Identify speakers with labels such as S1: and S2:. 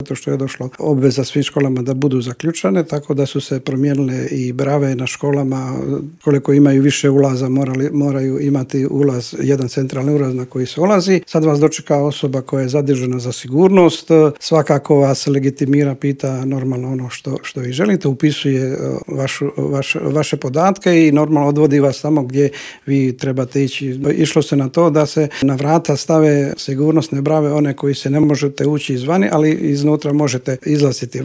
S1: zato što je došlo obveza svim školama da budu zaključane, tako da su se promijenile i brave na školama. Koliko imaju više ulaza, moraju imati ulaz, jedan centralni ulaz na koji se ulazi. Sad vas dočeka osoba koja je zadužena za sigurnost, svakako vas legitimira, pita normalno ono što vi želite, upisuje vaše podatke i normalno odvodi vas tamo gdje vi trebate ići. Išlo se na to da se na vrata stave sigurnosne brave, one koji se ne možete ući izvani, ali iznutra možete izlaziti.